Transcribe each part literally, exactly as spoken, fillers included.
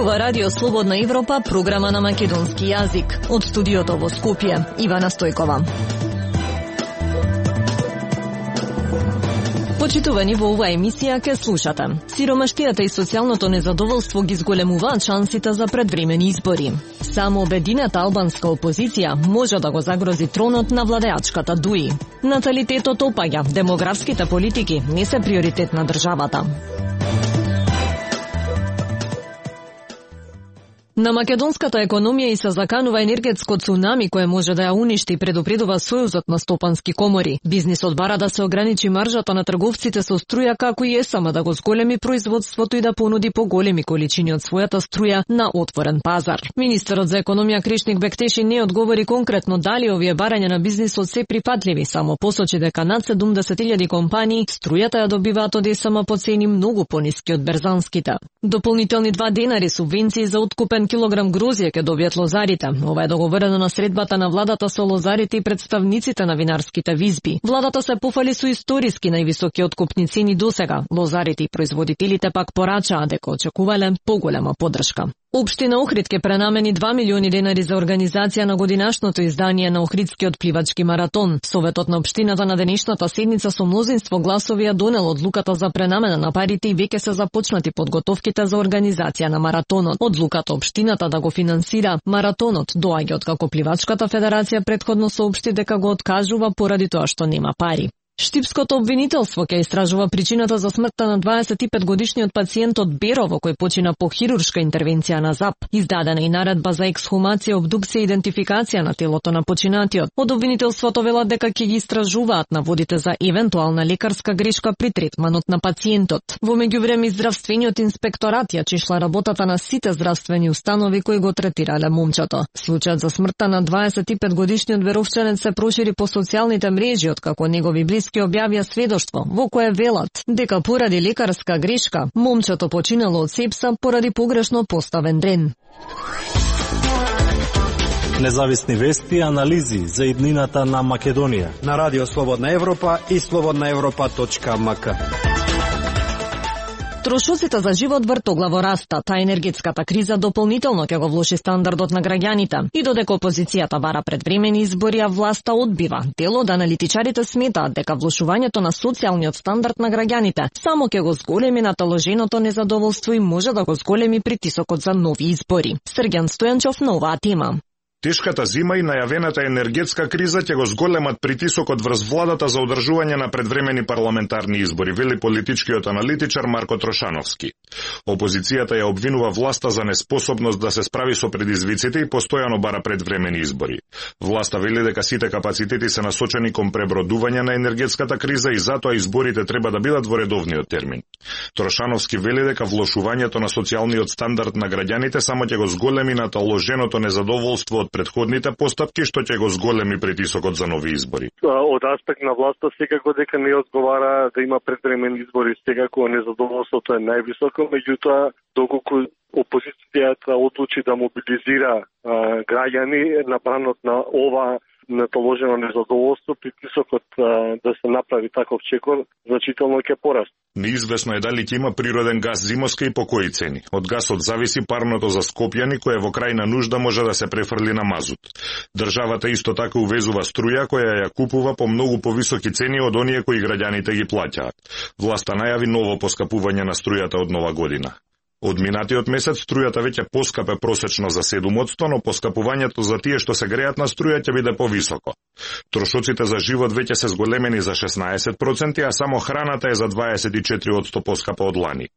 Ова Радио Слободна Европа, програма на македонски јазик. Од студиото во Скопје, Ивана Стојкова. Почитувани, во оваа емисија ке слушате. Сиромаштијата и социјалното незадоволство ги зголемуваат шансите за предвремени избори. Само обединета албанска опозиција може да го загрози тронот на владеачката ДУИ. Наталитетот опаѓа, демографските политики не се приоритет на државата. На македонската економија и се заканува енергетско цунами кое може да ја уништи, предупредува Сојузот на стопански комори. Бизнисот бара да се ограничи маржата на трговците со струја, како и ЕСАМ да го зголеми производството и да понуди поголеми количини од својата струја на отворен пазар. Министерот за економија Кришник Бектеши не одговори конкретно дали овие барања на бизнисот се прифатливи, само посочи дека над седумдесет илјади компании струјата ја добиваат од ЕСАМ по цени многу пониски од берзанските. Дополнителни два денари субвенции за откупен килограм грозје ќе добијат лозарите. Ова е договорено на средбата на владата со лозарите и представниците на винарските визби. Владата се пофали со историски највисоки откупни цени досега. Лозарите и производителите пак порачаа дека очекувале поголема поддршка. Општина Охрид ке пренамени два милиони денари за организација на годинашното издание на Охридскиот пливачки маратон. Советот на општината на денешната седница со мнозинство гласови ја донел одлуката за пренамена на парите и веќе се започнати подготовките за организација на маратонот. Одлуката општината да го финансира маратонот доаѓа од како Пливачката федерација предходно соопшти дека го откажува поради тоа што нема пари. Штипското обвинителство ќе истражува причината за смртта на дваесет и пет годишниот пациент од Берово кој почина по хируршка интервенција на ЗАП. Издадена и наредба за ексхумација, обдукција и идентификација на телото на починатиот. Од обвинителството велат дека ќе ги истражуваат наводите за евентуална лекарска грешка при третманот на пациентот. Во меѓувреме здравствениот инспекторат ја чешла работата на сите здравствени установи кои го третирале момчето. Случајот за смртта на дваесет и пет годишниот веровчанец се прошири по социјалните мрежи, откако негови близки ке објавија сведоштво во кое велат дека поради лекарска грешка момчето починало од сепса поради погрешно поставен дрен. Независни вести и анализи за иднината на Македонија на Радио Слободна Европа и слободна европа точка ем ка. Трошоците за живот вртоглаво растат, а енергетската криза дополнително ќе го влоши стандардот на граѓаните. И додека опозицијата бара предвремени избори, а власта одбива. Дел од аналитичарите сметаат дека влошувањето на социјалниот стандард на граѓаните само ќе го зголеми наталоженото незадоволство и може да го зголеми притисокот за нови избори. Срѓан Стојанчов на оваа тема. Тешката зима и најавената енергетска криза ќе го зголемат притисокот врз владата за одржување на предвремени парламентарни избори, вели политичкиот аналитичар Марко Трошановски. Опозицијата ја обвинува власта за неспособност да се справи со предизвиците и постојано бара предвремени избори. Власта вели дека сите капацитети се насочени кон пребродување на енергетската криза и затоа изборите треба да бидат во редовниот термин. Трошановски вели дека влошувањето на социјалниот стандард на граѓаните само ќе го зголеми наталоженото незадоволство од предходните постапки, што ќе го зголеми притисокот за нови избори. Од аспект на власта секако дека не одговара да има предвремени избори, секако незадоволството е највисоко, меѓутоа доколку опозицијата одлучи да мобилизира а, граѓани на бранот на ова наталожено незадоволство, притисокот а, да се направи таков чекор значително ќе порасте. Неизвестно е дали ќе има природен газ зимоска и по кои цени. Од гасот зависи парното за Скопјани, кое во крајна нужда може да се префрли на мазут. Државата исто така увезува струја која ја купува по многу повисоки цени од оние кои граѓаните ги плаќаат. Власта најави ново поскапување на струјата од нова година. Од минатиот месец струјата веќе поскапе просечно за седум одсто, но поскапувањето за тие што се греат на струја ќе биде повисоко. Трошоците за живот веќе се зголемени за шеснаесет проценти, а само храната е за дваесет и четири одсто поскапа од лани.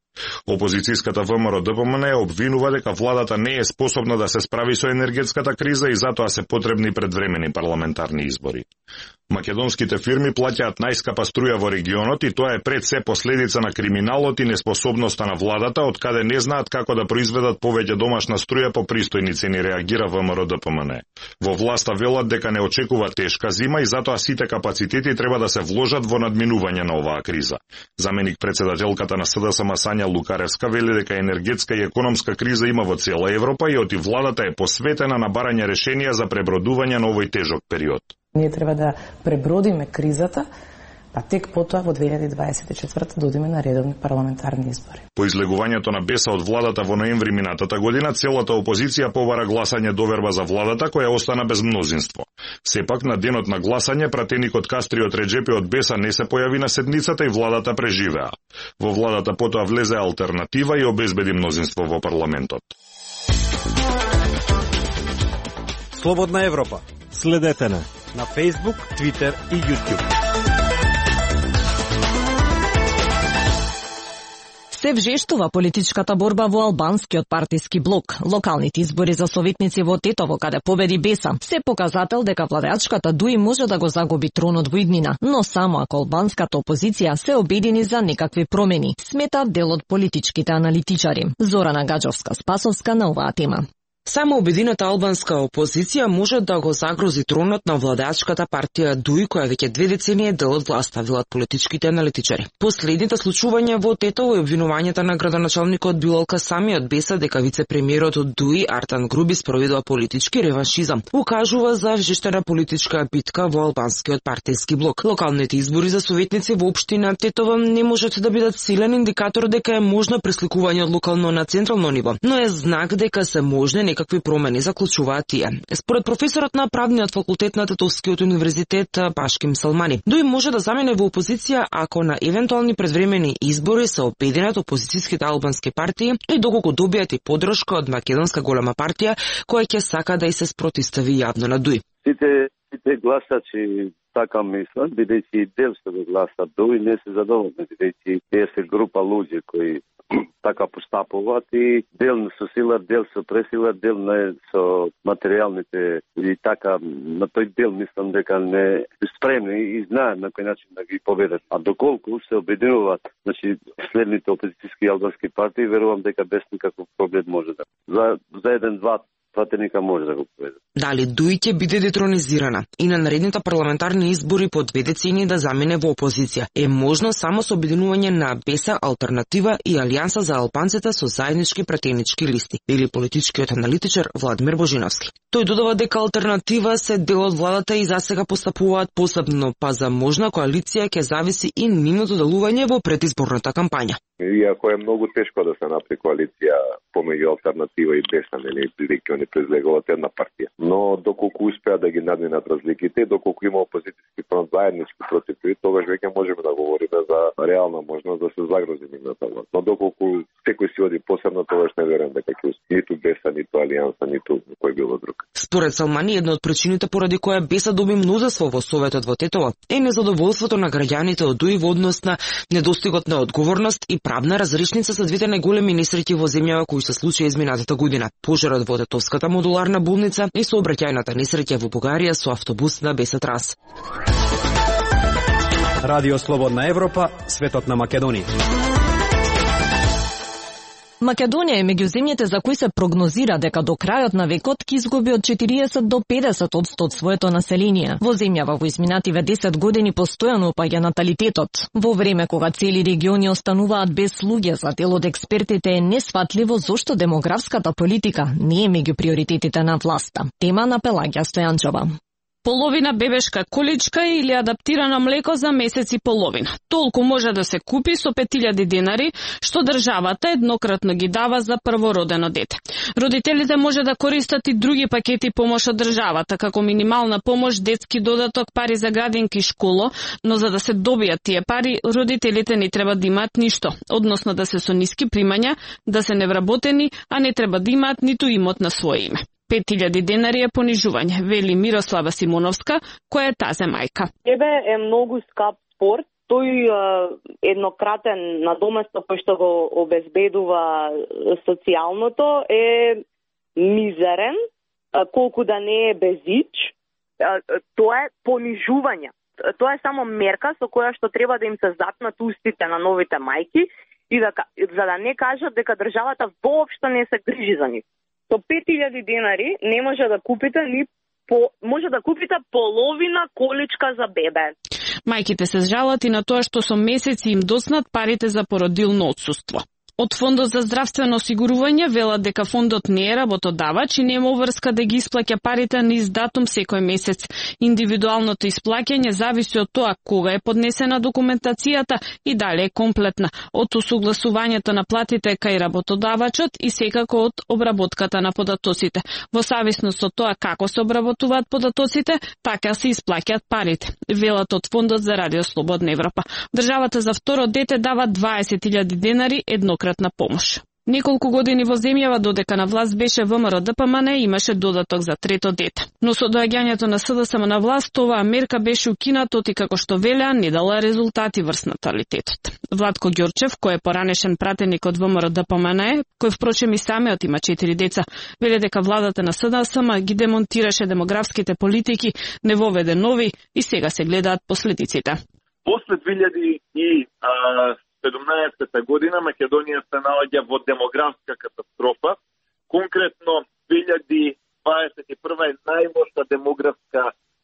Опозицијската ВМРО Д П М Н обвинува дека владата не е способна да се справи со енергетската криза и затоа се потребни предвремени парламентарни избори. Македонските фирми плаќаат најскапа струја во регионот и тоа е пред се последица на криминалот и неспособноста на владата, од каде не знаат како да произведат повеќе домашна струја по пристојни цени, реагира ВМРО Д П М Н. Во власта велат дека не очекува тешка зима и затоа сите капацитети треба да се вложат во надминување на оваа криза. Заменик председателката на С Д С М Сања Лукаревска вели дека енергетска и економска криза има во цела Европа и оти владата е посветена на барање решенија за пребродување на овој тежок период. Ние треба да пребродиме кризата, па тек потоа во две илјади дваесет и четврта додиме на редовни парламентарни избори. По излегувањето на Беса од владата во ноември минатата година, целата опозиција побара гласање доверба за владата која остана без мнозинство. Сепак на денот на гласање пратеникот Кастриот Реджепи од Беса не се појави на седницата и владата преживеа. Во владата потоа влезе алтернатива и обезбеди мнозинство во парламентот. Слободна Европа. Следете на на Facebook, Twitter и YouTube. Се вжештува политичката борба во албанскиот партиски блок. Локалните избори за советници во Тетово, каде победи Беса, се показател дека владеачката ДУИ може да го загуби тронот во иднина, но само ако албанската опозиција се обедини за некакви промени, сметаат дел од политичките аналитичари. Зорана Гаджовска-Спасовска на оваа тема. Само обединета албанска опозиција може да го загрози тронот на владеачката партија ДУИ, која веќе две децении е дел од власта, велат политичките аналитичари. Последните случувања во Тетово и обвинувањата на градоначалникот Билал Касами од Беса дека вице-премиерот од ДУИ Артан Груби спроведува политички реваншизам, укажува за вжештена политичка битка во албанскиот партиски блок. Локалните избори за советници во општина Тетово не можат да бидат силен индикатор дека е можно пресликување од локално на централно ниво, но е знак дека се можни некакви промени, заклучуваат тие. Според професорот на правниот факултет на Тетовскиот универзитет Пашким Салмани, ДУИ може да замене во опозиција ако на евентуални предвремени избори се обединат опозицијските албански партии и доколку добијат и поддршка од македонска голема партија која ќе сака да и се спротивстави јавно на ДУИ. Сите, сите гласачи така мислат, бидејќи дел се го гласат ДУИ не се задоволни, бидејќи тие се група луѓе кои така постапуваат и дел со сила, дел со пресила, дел не со материјалните и така на тој дел мислам дека не спремни и знаат на кој начин да ги победат. А доколку се обединуваат, значи следните опозицијски албански партии, верувам дека без никаков проблем може да. За за еден-два пратеника може да го победи. Дали ДУИ ќе биде детронизирана и на наредните парламентарни избори по две децении да замине во опозиција е можно само со обединување на Беса, Алтернатива и Алијанса за албанците со заеднички пратенички листи, или политичкиот аналитичар Владимир Божиновски. Тој додава дека Алтернатива се дел од владата и засега постапуваат посебно, па за можна коалиција ќе зависи и нивното делување во предизборната кампања. Иако е многу тешко да се направи коалиција помеѓу Алтернатива и Беса, нели, бидејќи они произлегуваат една партија. Но доколку успеа да ги надминат разликите, доколку има опозицијски фронт заеднички против тој, тогаш веќе можеме да говориме за реална можност да се загрози нивната власт. Но доколку секој си оди посебно, тогаш не верувам дека ќе успее ниту Беса, ниту Алијанса, ниту кој било друг. Според Салмани, една од причините поради која Беса доби мнозинство во Советот во Тетово е незадоволството на граѓаните од ДУИ во однос на недостигот на одговорност и правна разрешница за двете најголеми несреќи во земјава кои се случија изминатата година: пожарот во Тетовската модуларна болница и сообраќајната несреќа во Бугарија со автобус на Беса Трас. Радио Слободна Европа, светот на Македонија. Македонија е меѓу земјите за кои се прогнозира дека до крајот на векот ќе изгуби од четириесет до педесет одсто од своето население. Во земјава во изминативе десет години постојано опаѓа наталитетот. Во време кога цели региони остануваат без луѓе, за дел од експертите е несфатливо зошто демографската политика не е меѓу приоритетите на власта. Тема на Пелагија Стојанчова. Половина бебешка количка или адаптирано млеко за месец и половина. Толку може да се купи со пет илјади денари, што државата еднократно ги дава за првородено дете. Родителите може да користат и други пакети помош од државата, како минимална помош, детски додаток, пари за градинки и школо, но за да се добијат тие пари, родителите не треба да имаат ништо, односно да се со ниски примања, да се невработени, а не треба да имаат ниту имот на свое име. пет илјади денари е понижување, вели Мирослава Симоновска, која е тазе мајка. Тебе е многу скап спорт, тој е еднократен надоместок кој што го обезбедува социјалното е мизерен, колку да не е безич, тоа е понижување. Тоа е само мерка со која што треба да им се затнат устите на новите мајки и да, за да не кажат дека државата воопшто не се грижи за нив. Со пет илјади денари не може да купите ни по, може да купите половина количка за бебе. Мајките се жалат и на тоа што со месеци им доснат парите за породилно отсуство. Од Фондот за здравствено осигурување велат дека фондот не е работодавач и нема врска да ги исплаќа парите низ датум секој месец. Индивидуалното исплаќање зависи од тоа кога е поднесена документацијата и дали е комплетна, од усогласувањето на платите кај работодавачот и секако од обработката на податоците. Во зависност од тоа како се обработуваат податоците, така се исплаќаат парите. Велат од Фондот за Радио Слободна Европа. Државата за второ дете дава дваесет илјади денари еднократна помош. Неколку години во земјава додека на власт беше ВМРО-ДПМН имаше додаток за трето дете. Но со доаѓањето на СДСМ на власт, оваа мерка беше укинато и како што велеа не дала резултати врз наталитетот. Владко Ѓорчев, кој е поранешен пратеник од ВМРО-ДПМН, кој впрочем и самиот има четири деца, веле дека владата на СДСМ ги демонтираше демографските политики, не воведе нови и сега се гледаат последиците. После две илјади и седумнаесета година Македонија се наоѓа во демографска катастрофа. Конкретно две илјади дваесет и прва е најлоша демографска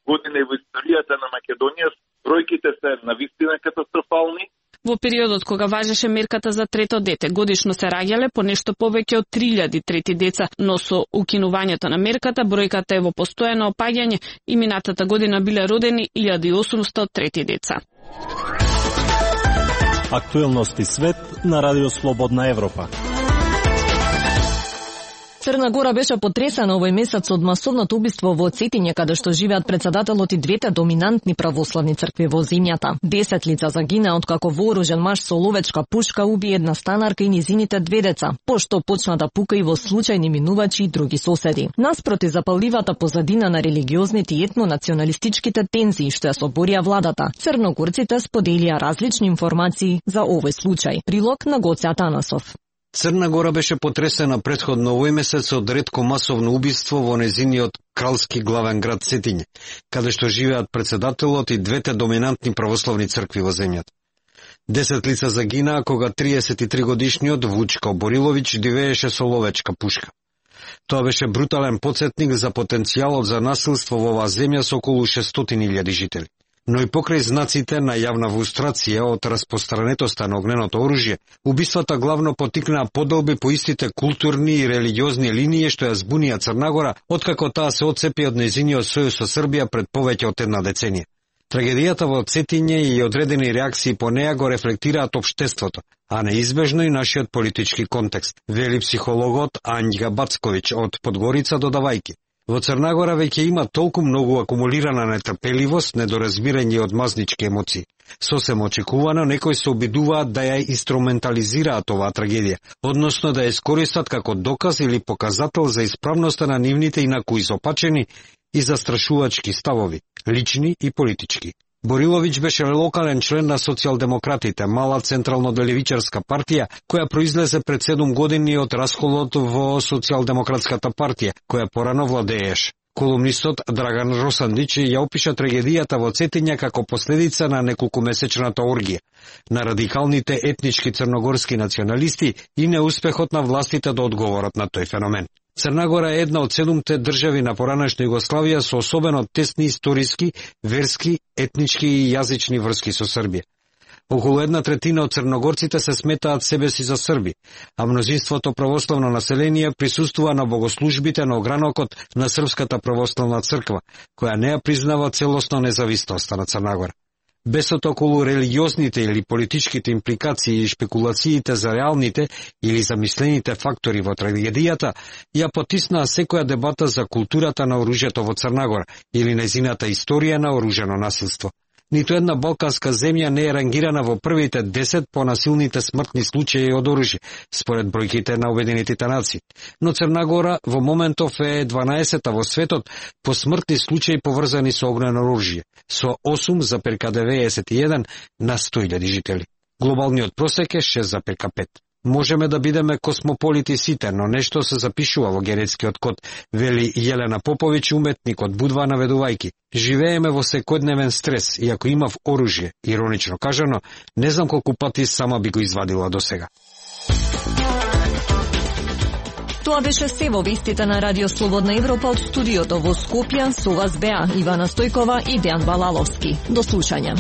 година во историјата на Македонија. Бројките се навистина катастрофални. Во периодот кога важеше мерката за трето дете, годишно се раѓале по нешто повеќе од три илјади трети деца, но со укинувањето на мерката бројката е во постојано опаѓање и минатата година биле родени илјада и осумстотини трети деца. Актуелности свет на Радио Слободна Европа. Црна Гора беше потресена овој месец од масовното убиство во Цетиње, каде што живеат председателот и двете доминантни православни цркви во земјата. Десет лица загина откако вооружен маж со ловечка пушка уби една станарка и низините две деца, пошто почна да пука и во случајни минувачи и други соседи. Наспроти запалливата позадина на религиозните и етнонационалистичките тензии што ја соборија владата, црногорците споделија различни информации за овој случај. Прилог на Гоце Атанасов. Црна Гора беше потресена претходно овој месец од ретко масовно убиство во незиниот кралски главен град Цетиње, каде што живеат председателот и двете доминантни православни цркви во земјата. Десет лица загинаа кога триесет и три годишниот Вучко Борилович дивееше со ловечка пушка. Тоа беше брутален потсетник за потенцијалот за насилство во оваа земја со околу шестстотини илјади жители. Но и покрај знаците на јавна фрустрација од распространетоста на огненото оружје, убиствата главно потикнаа подолби по истите културни и религиозни линии што ја збунија Црна Гора, откако таа се отцепи од незиниот сојуз со Србија пред повеќе од една деценија. Трагедијата во Цетиње и одредени реакции по неа го рефлектираат општеството, а неизбежно и нашиот политички контекст, вели психологот Ањга Бацковиќ од Подгорица додавајки. Во Црна Гора веќе има толку многу акумулирана нетрпеливост, недоразбирање и одмазнички емоции. Сосем очекувано некои се обидуваат да ја инструментализираат оваа трагедија, односно да ја искористат како доказ или показател за исправноста на нивните инаку изопачени и застрашувачки ставови, лични и политички. Борилович беше локален член на социјалдемократите, мала централно-левичарска партија, која произлезе пред седум години од расколот во социјалдемократската партија, која порано владееше. Колумнистот Драган Росандич ја опиша трагедијата во Цетиње како последица на неколкумесечната оргија, на радикалните етнички црногорски националисти и неуспехот на властите да одговорат на тој феномен. Црна Гора е една од седумте држави на поранешна Југославија со особено тесни историски, верски, етнички и јазични врски со Србија. Околу една третина од црногорците се сметаат себе си за срби, а мнозинството православно население присуствува на богослужбите на огранокот на Српската православна црква, која не ја признава целосно независноста на Црна Гора. Бесот околу религиозните или политичките импликации и шпекулациите за реалните или замислените фактори во трагедијата, ја потиснаа секоја дебата за културата на оружјето во Црна Гора или незината историја на оружено насилство. Ниту една балканска земја не е рангирана во првите десет по насилните смртни случаи од оружје, според бројките на Обединетите нации. Но Црна Гора во моментов е дванаесета во светот по смртни случаи поврзани со огнено оружје, со осум зарез деветдесет и еден на сто илјади жители. Глобалниот просек е шест зарез пет. Можеме да бидеме космополити сите, но нешто се запишува во генетскиот код, вели Јелена Поповиќ, уметник од Будва, наведувајки. Живееме во секојдневен стрес и ако имав оружје, иронично кажано, не знам колку пати сама би го извадила до сега. Тоа беше се во вестите на Радио Слободна Европа од студиото во Скопје. Со вас беа Ивана Стојкова и Дејан Балаловски. До слушање.